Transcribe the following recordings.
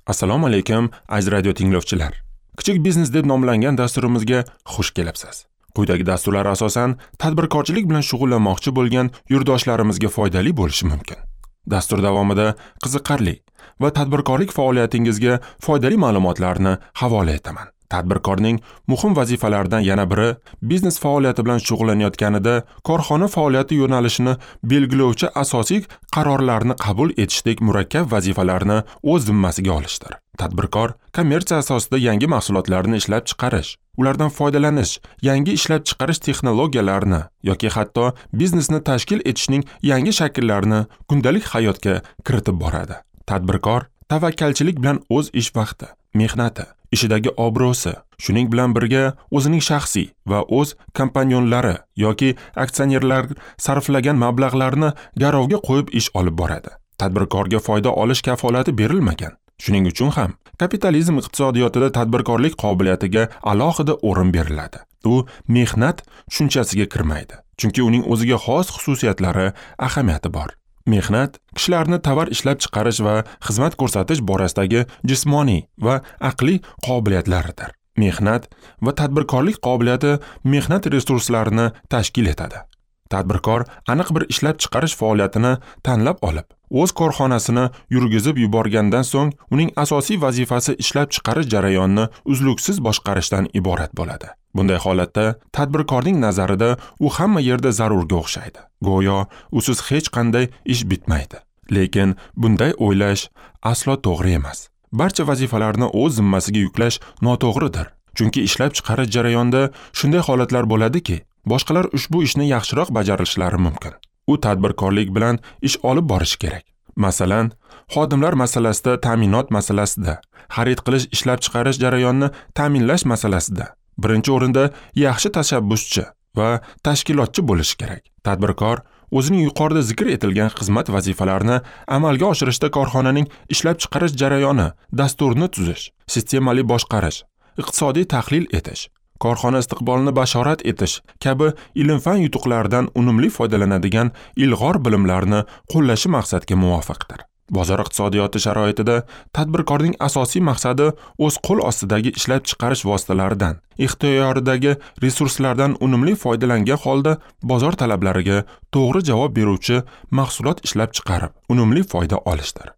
Assalomu alaykum, aziz radio tinglovchilar. Kichik biznes deb nomlangan dasturimizga xush kelibsiz. Quyidagi dasturlar asosan tadbirkorchilik bilan shug'ullanmoqchi bo'lgan yurtdoshlarimizga foydali bo'lishi mumkin. Dastur davomida qiziqarli va tadbirkorlik faoliyatingizga foydali ma'lumotlarni havola etaman. Tadbirkorning muhim vazifalaridan yana biri biznes faoliyati bilan shug'ullanayotganida korxona faoliyati yo'nalishini belgilovchi asosiy qarorlarni qabul etishdek murakkab vazifalarni o'z zimmasiga olishdir. Tadbirkor kommersiya asosida yangi mahsulotlarni ishlab chiqarish, ulardan foydalanish, yangi ishlab chiqarish texnologiyalarini yoki hatto biznesni tashkil etishning yangi shakllarini kundalik hayotga kiritib boradi. Tadbirkor tavakkalchilik bilan o'z ish vaqti, mehnati, ishidagi obro'si, shuning bilan birga o'zining shaxsiy va o'z kompanyonlari yoki aksionerlar sarflagan mablag'larni garovga qo'yib ish olib boradi. Tadbirkorga foyda olish kafolati berilmagan. Shuning uchun ham kapitalizm iqtisodiyotida tadbirkorlik qobiliyatiga alohida o'rin beriladi. U mehnat tushunchasiga kirmaydi, chunki uning o'ziga xos xususiyatlari, ahamiyati bor. Mehnat kishilarni tovar ishlab chiqarish va xizmat ko'rsatish borasidagi jismoniy va aqliy qobiliyatlaridir. Mehnat va tadbirkorlik qobiliyati mehnat resurslarini tashkil etadi. Tadbirkor aniq bir ishlab chiqarish faoliyatini tanlab olib, o'z korxonasini yurgizib yuborgandan so'ng uning asosiy vazifasi ishlab chiqarish jarayonini uzluksiz boshqarishdan iborat bo'ladi. Bunday holatda tadbirkorning nazarida u hamma yerda zarurga o'xshaydi. Go'yo usiz hech qanday ish bitmaydi. Lekin bunday o'ylash aslo to'g'ri emas. Barcha vazifalarni o'z zimmasiga yuklash noto'g'ridir. Chunki ishlab chiqarish jarayonida shunday holatlar bo'ladiki, boshqalar ushbu ishni yaxshiroq bajarishlari mumkin. U tadbirkorlik bilan ish olib borishi kerak. Masalan, xodimlar masalasida, ta'minot masalasida, xarid qilish, ishlab chiqarish jarayonini ta'minlash masalasida birinchi o'rinda yaxshi tashabbuschi va tashkilotchi bo'lishi kerak. Tadbirkor o'zining yuqorida zikr etilgan xizmat vazifalarini amalga oshirishda korxonaning ishlab chiqarish jarayoni, dasturini tuzish, sistemali boshqarish, iqtisodiy tahlil etish, korxona istiqbolini bashorat etish kabi ilm-fan yutuqlaridan unumli foydalanadigan ilg'or bilimlarni qo'llashi maqsadga muvofiqdir. Bozor iqtisodiyoti sharoitida tadbirkorning asosiy maqsadi o'z qo'l ostidagi ishlab chiqarish vositalaridan, ixtiyoridagi resurslardan unumli foydalangan holda bozor talablariga to'g'ri javob beruvchi mahsulot ishlab chiqarib, unumli foyda olishdir.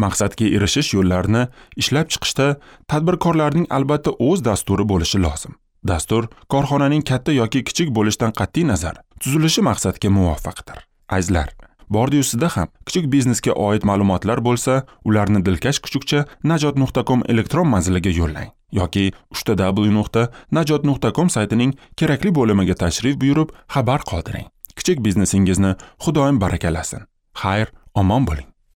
Maqsadga erishish yo'llarini ishlab chiqishda tadbirkorlarning albatta o'z dasturi bo'lishi lozim. Dastur korxonaning katta yoki kichik bo'lishidan qat'iy nazar tuzilishi maqsadga muvofiqdir. Azizlar, bordi-yu sizda ham kichik biznesga oid ma'lumotlar bo'lsa, ularni dilkash kuchukcha najot.com elektron manziliga yo'llang yoki www.najot.com saytining kerakli bo'limiga tashrif buyurib xabar qoldiring. Kichik biznesingizni Xudoyim barakalasin. Xayr, omon bo'ling.